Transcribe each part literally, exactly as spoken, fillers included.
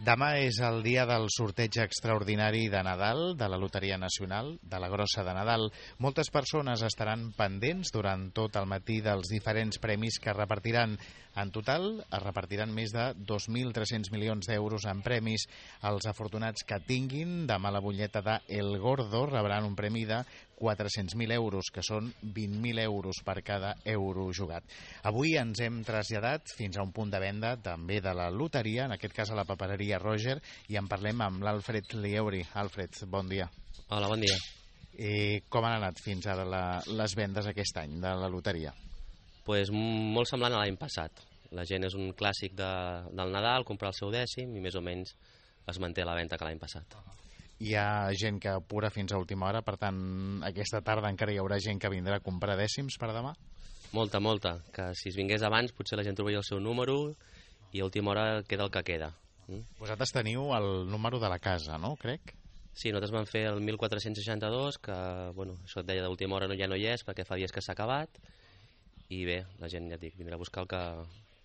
Demà és el dia del sorteig extraordinari de Nadal de la Loteria Nacional, de la Grossa de Nadal. Moltes persones estaran pendents durant tot el matí dels diferents premis que es repartiran. En total, es repartiran més de dos mil tres-cents milions d'euros en premis. Els afortunats que tinguin demà la butlleta de El Gordo rebran un premi de quatre-cents mil euros, que són vint mil euros per cada euro jugat. Avui ens hem traslladat fins a un punt de venda també de la loteria, en aquest cas a la papereria Roger, i en parlem amb l'Alfred Lieuri. Alfred, bon dia. Hola, bon dia. Eh, com han anat fins ara la, les vendes aquest any de la loteria? Pues molt semblant a l'any passat. La gent és un clàssic de, del Nadal, comprar el seu dècim i més o menys es manté la venda que l'any passat. Hi ha gent que apura fins a última hora, per tant, aquesta tarda encara hi haurà gent que vindrà a comprar dècims per demà? Molta, molta. Que si es vingués abans potser la gent trobaria el seu número i a última hora queda el que queda. Mm? Vosaltres teniu el número de la casa, no? Crec? Sí, nosaltres vam fer el mil quatre-cents seixanta-dos, que bueno, això et deia d'última hora no, ja no hi és perquè fa dies que s'ha acabat, i bé, la gent, ja et dic, vindrà a buscar el que,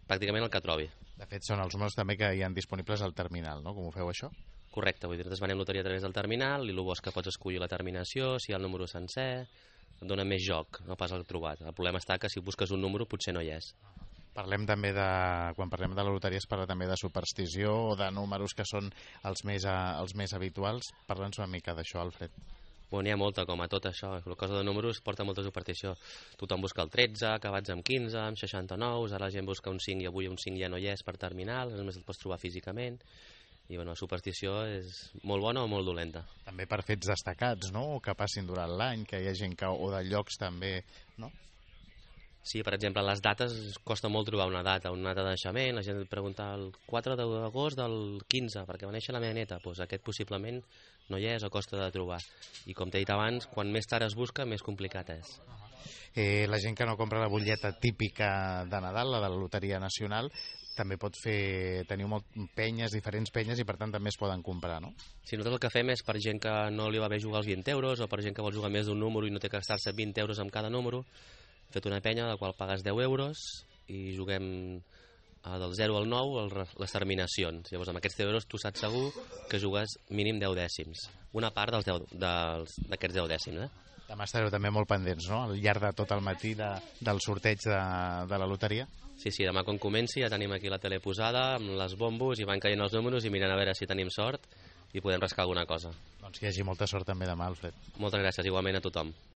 pràcticament el que trobi. De fet, són els números també que hi han disponibles al terminal, no? Com ho feu, això? Correcte, vull dir, nosaltres venem loteria a través del terminal i el bo és que pots escollir la terminació, si hi ha el número sencer, et dona més joc, no pas el trobat. El problema està que si busques un número potser no hi és. Parlem també de, quan parlem de la loteria es parla també de superstició o de números que són els més, els més habituals. Parla'ns una mica d'això, Alfred. Bueno, n'hi ha molta, com a tot això. La cosa de números porta molta superstició. Tothom busca el tretze, acabats amb quinze, amb seixanta-nou, ara la gent busca un cinc i avui un cinc ja no hi és per terminal, només el pots trobar físicament. I bueno, la superstició és molt bona o molt dolenta. També per fets destacats, no? O que passin durant l'any, que hi ha gent que... o de llocs també, no? Sí, per exemple, les dates, costa molt trobar una data, una data de naixement, la gent et pregunta el quatre d'agost del quinze, perquè va néixer la meva neta, doncs aquest possiblement no hi és o costa de trobar. I com t'he dit abans, quan més tard es busca, més complicat és. Eh, la gent que no compra la butlleta típica de Nadal, la de la Loteria Nacional, també pot fer, teniu molt penyes, diferents penyes, i per tant també es poden comprar, no? Sí, nosaltres el que fem és per gent que no li va bé jugar els vint euros o per gent que vol jugar més d'un número i no té que gastar-se vint euros amb cada número, fet una penya de la qual pagues deu euros i juguem eh, del zero al nou les terminacions. Llavors amb aquests deu euros tu saps segur que jugues mínim deu dècims, una part dels d'aquests deu dècims. Eh? Demà estareu també molt pendents, no?, al llarg de tot el matí de, del sorteig de, de la loteria. Sí, sí, demà quan comenci ja tenim aquí la tele posada amb les bombos i van caient els números i mirant a veure si tenim sort i podem rascar alguna cosa. Doncs que hi hagi molta sort també demà, Alfred. Moltes gràcies, igualment a tothom.